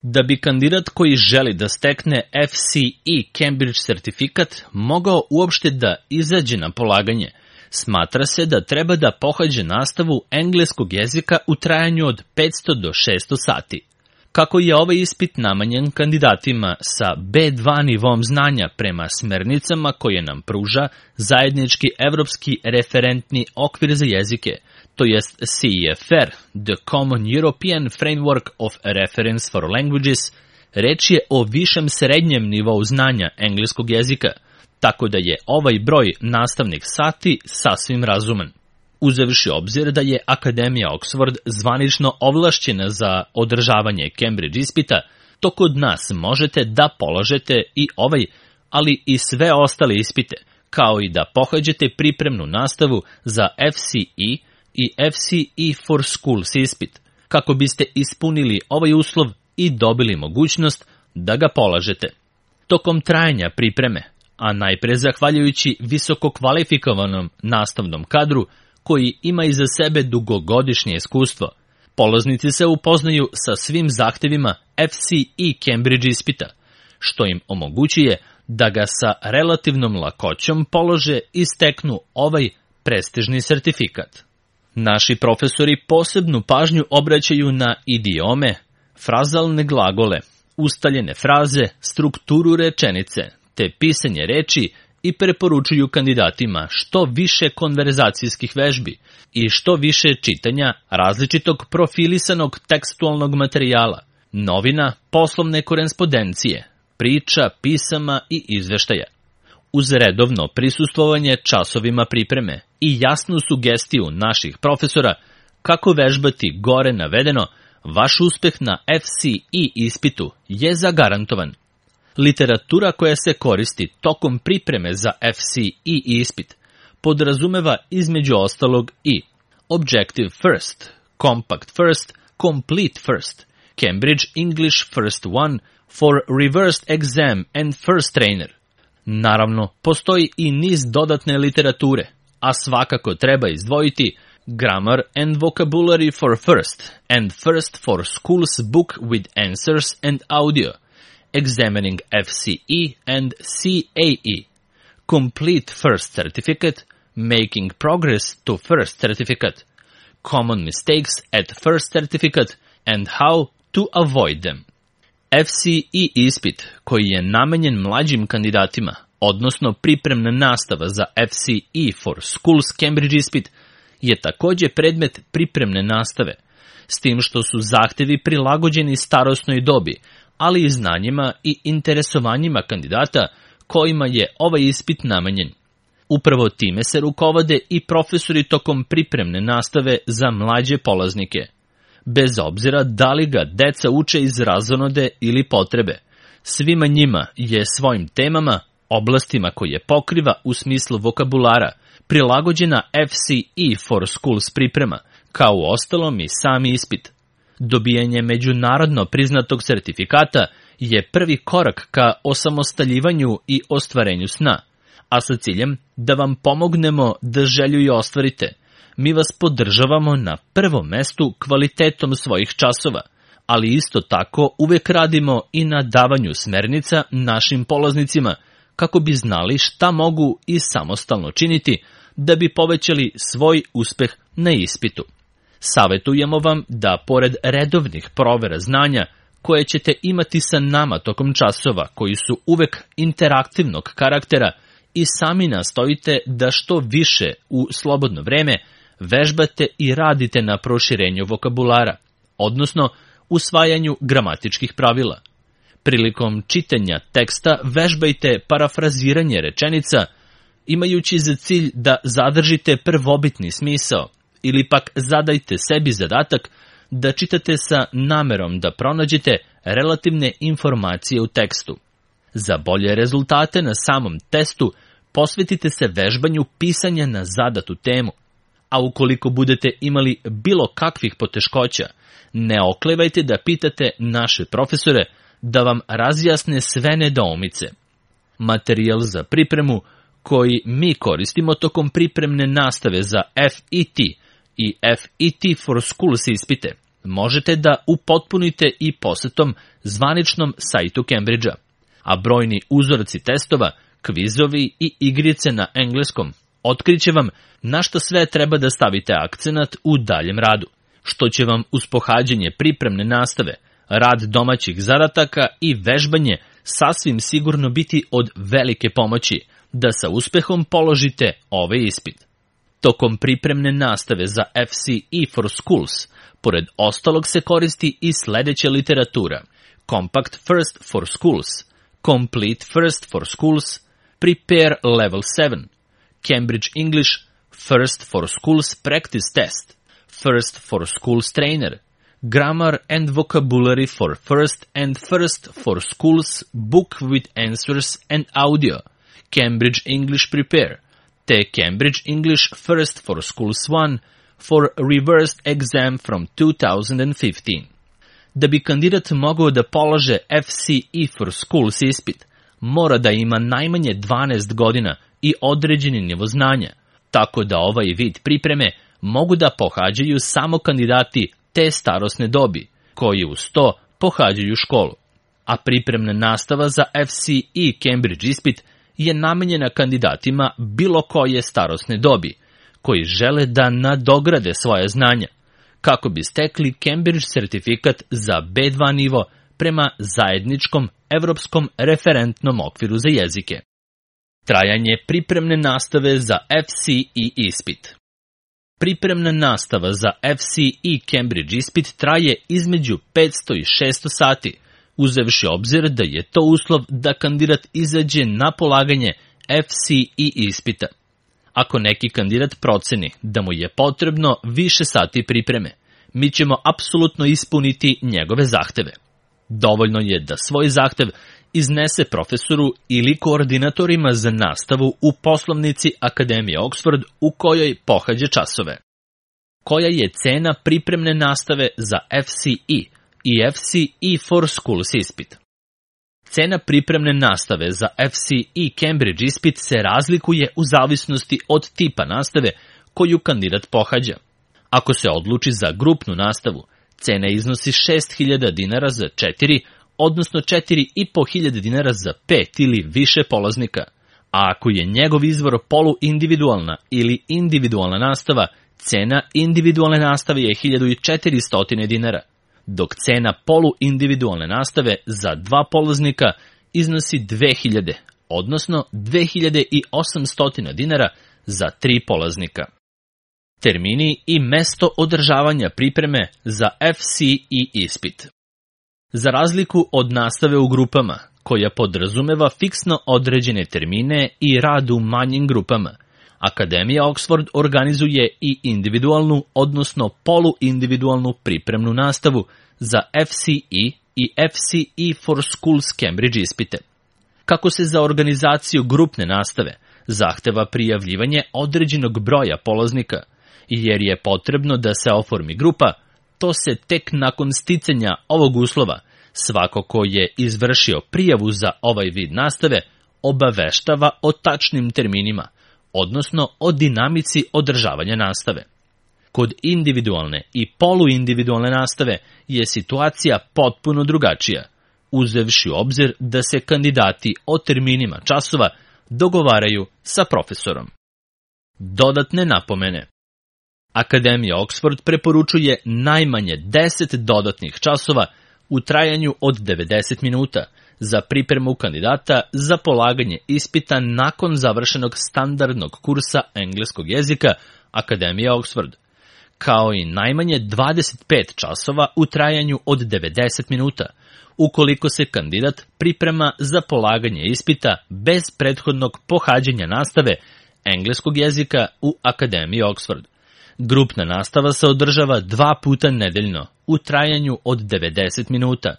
Da bi kandidat koji želi da stekne FCE Cambridge sertifikat mogao uopšte da izađe na polaganje, smatra se da treba da pohađe nastavu engleskog jezika u trajanju od 500 do 600 sati. Kako je ovaj ispit namenjen kandidatima sa B2 nivom znanja prema smernicama koje nam pruža zajednički evropski referentni okvir za jezike, to jest CEFR, the Common European Framework of Reference for Languages, reč je o višem srednjem nivou znanja engleskog jezika, tako da je ovaj broj nastavnih sati sasvim razuman. Uzevši obzir da je Akademija Oxford zvanično ovlašćena za održavanje Cambridge ispita, to kod nas možete da polažete i ovaj, ali i sve ostale ispite, kao i da pohađate pripremnu nastavu za FCE i FCE for Schools ispit, kako biste ispunili ovaj uslov i dobili mogućnost da ga polažete. Tokom trajanja pripreme, a najpre zahvaljujući visoko kvalifikovanom nastavnom kadru, koji ima iza sebe dugogodišnje iskustvo, polaznici se upoznaju sa svim zahtevima FCE Cambridge ispita, što im omogućuje da ga sa relativnom lakoćom polože i steknu ovaj prestižni sertifikat. Naši profesori posebnu pažnju obraćaju na idiome, frazalne glagole, ustaljene fraze, strukturu rečenice, te pisanje reči i preporučuju kandidatima što više konverzacijskih vežbi i što više čitanja različitog profilisanog tekstualnog materijala, novina, poslovne korespondencije, priča, pisama i izveštaja. Uz redovno prisustvovanje časovima pripreme i jasnu sugestiju naših profesora kako vežbati gore navedeno, vaš uspeh na FCE ispitu je zagarantovan. Literatura koja se koristi tokom pripreme za FCE ispit podrazumeva između ostalog i Objective First, Compact First, Complete First, Cambridge English First One for Reversed Exam and First Trainer. Naravno, postoji i niz dodatne literature, a svakako treba izdvojiti Grammar and Vocabulary for First and First for Schools book with answers and audio, Examining FCE and CAE, Complete First Certificate, Making Progress to First Certificate, Common Mistakes at First Certificate and How to Avoid them. FCE ispit, koji je namenjen mlađim kandidatima, odnosno pripremna nastava za FCE for Schools Cambridge ispit, je takođe predmet pripremne nastave, s tim što su zahtevi prilagođeni starosnoj dobi, ali i znanjima i interesovanjima kandidata kojima je ovaj ispit namenjen. Upravo time se rukovode i profesori tokom pripremne nastave za mlađe polaznike. Bez obzira da li ga deca uče iz razonode ili potrebe, svima njima je svojim temama, oblastima koje pokriva u smislu vokabulara, prilagođena FCE for Schools priprema, kao u ostalom i sami ispit. Dobijanje međunarodno priznatog sertifikata je prvi korak ka osamostaljivanju i ostvarenju sna, a sa ciljem da vam pomognemo da želju i ostvarite, mi vas podržavamo na prvom mestu kvalitetom svojih časova, ali isto tako uvek radimo i na davanju smernica našim polaznicima kako bi znali šta mogu i samostalno činiti da bi povećali svoj uspeh na ispitu. Savetujemo vam da pored redovnih provera znanja koje ćete imati sa nama tokom časova koji su uvek interaktivnog karaktera, i sami nastojite da što više u slobodno vreme vežbate i radite na proširenju vokabulara, odnosno usvajanju gramatičkih pravila. Prilikom čitanja teksta vežbajte parafraziranje rečenica, imajući za cilj da zadržite prvobitni smisao, ili pak zadajte sebi zadatak da čitate sa namerom da pronađete relativne informacije u tekstu. Za bolje rezultate na samom testu posvetite se vežbanju pisanja na zadatu temu, a ukoliko budete imali bilo kakvih poteškoća, ne oklevajte da pitate naše profesore da vam razjasne sve nedoumice. Materijal za pripremu koji mi koristimo tokom pripremne nastave za FET i FET for Schools ispite možete da upotpunite i posetom zvaničnom sajtu Cambridgea, a brojni uzorci testova, kvizovi i igrice na engleskom otkriće vam na što sve treba da stavite akcenat u daljem radu, što će vam uz pohađanje pripremne nastave, rad domaćih zadataka i vežbanje sasvim sigurno biti od velike pomoći da sa uspehom položite ovaj ispit. Tokom pripremne nastave za FCE for Schools, pored ostalog se koristi i sledeća literatura: Compact First for Schools, Complete First for Schools, Prepare Level 7, Cambridge English First for Schools Practice Test, First for Schools Trainer, Grammar and Vocabulary for First and First for Schools Book with Answers and Audio, Cambridge English Prepare, te Cambridge English First for Schools 1 for Reversed Exam from 2015. Da bi kandidat mogao da polaže FCE for Schools ispit, mora da ima najmanje 12 godina i određeni nivo znanja, tako da ovaj vid pripreme mogu da pohađaju samo kandidati te starosne dobi, koji uz to pohađaju školu. A pripremna nastava za FCE Cambridge ispit je namenjena kandidatima bilo koje starosne dobi, koji žele da nadograde svoje znanja, kako bi stekli Cambridge sertifikat za B2 nivo prema zajedničkom evropskom referentnom okviru za jezike. Trajanje pripremne nastave za FCE ispit. Pripremna nastava za FCE Cambridge ispit traje između 500 i 600 sati, uzevši obzir da je to uslov da kandidat izađe na polaganje FCE ispita. Ako neki kandidat proceni da mu je potrebno više sati pripreme, mi ćemo apsolutno ispuniti njegove zahteve. Dovoljno je da svoj zahtev iznese profesoru ili koordinatorima za nastavu u poslovnici Akademije Oxford u kojoj pohađa časove. Koja je cena pripremne nastave za FCE i FCE for Schools ispit? Cena pripremne nastave za FCE Cambridge ispit se razlikuje u zavisnosti od tipa nastave koju kandidat pohađa. Ako se odluči za grupnu nastavu, cena iznosi 6.000 dinara za 4, odnosno 4.500 dinara za 5 ili više polaznika, a ako je njegov izvor poluindividualna ili individualna nastava, cena individualne nastave je 1.400 dinara, dok cena poluindividualne nastave za 2 polaznika iznosi 2.000, odnosno 2.800 dinara za 3 polaznika. Termini i mesto održavanja pripreme za FCE ispit. Za razliku od nastave u grupama, koja podrazumeva fiksno određene termine i rad u manjim grupama, Akademija Oxford organizuje i individualnu, odnosno poluindividualnu pripremnu nastavu za FCE i FCE for Schools Cambridge ispite. Kako se za organizaciju grupne nastave zahteva prijavljivanje određenog broja polaznika, jer je potrebno da se oformi grupa, to se tek nakon sticanja ovog uslova svako ko je izvršio prijavu za ovaj vid nastave obaveštava o tačnim terminima, odnosno o dinamici održavanja nastave. Kod individualne i poluindividualne nastave je situacija potpuno drugačija, uzevši u obzir da se kandidati o terminima časova dogovaraju sa profesorom. Dodatne napomene. Akademija Oxford preporučuje najmanje 10 dodatnih časova u trajanju od 90 minuta za pripremu kandidata za polaganje ispita nakon završenog standardnog kursa engleskog jezika Akademije Oxford, kao i najmanje 25 časova u trajanju od 90 minuta, ukoliko se kandidat priprema za polaganje ispita bez prethodnog pohađanja nastave engleskog jezika u Akademiji Oxford. Grupna nastava se održava 2 puta nedeljno u trajanju od 90 minuta.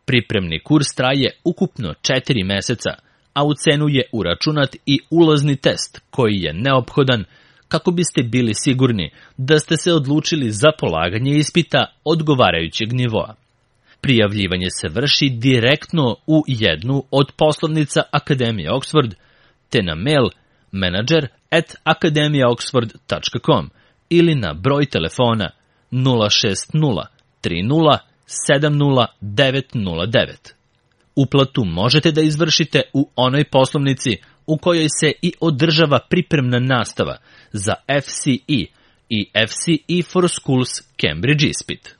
Pripremni kurs traje ukupno 4 meseca, a u cenu je uračunat i ulazni test koji je neophodan kako biste bili sigurni da ste se odlučili za polaganje ispita odgovarajućeg nivoa. Prijavljivanje se vrši direktno u jednu od poslovnica Akademije Oxford, te na mail manager@akademijaoxford.com ili na broj telefona 060 30 70 909. Uplatu možete da izvršite u onoj poslovnici u kojoj se i održava pripremna nastava za FCE i FCE for Schools Cambridge ispit.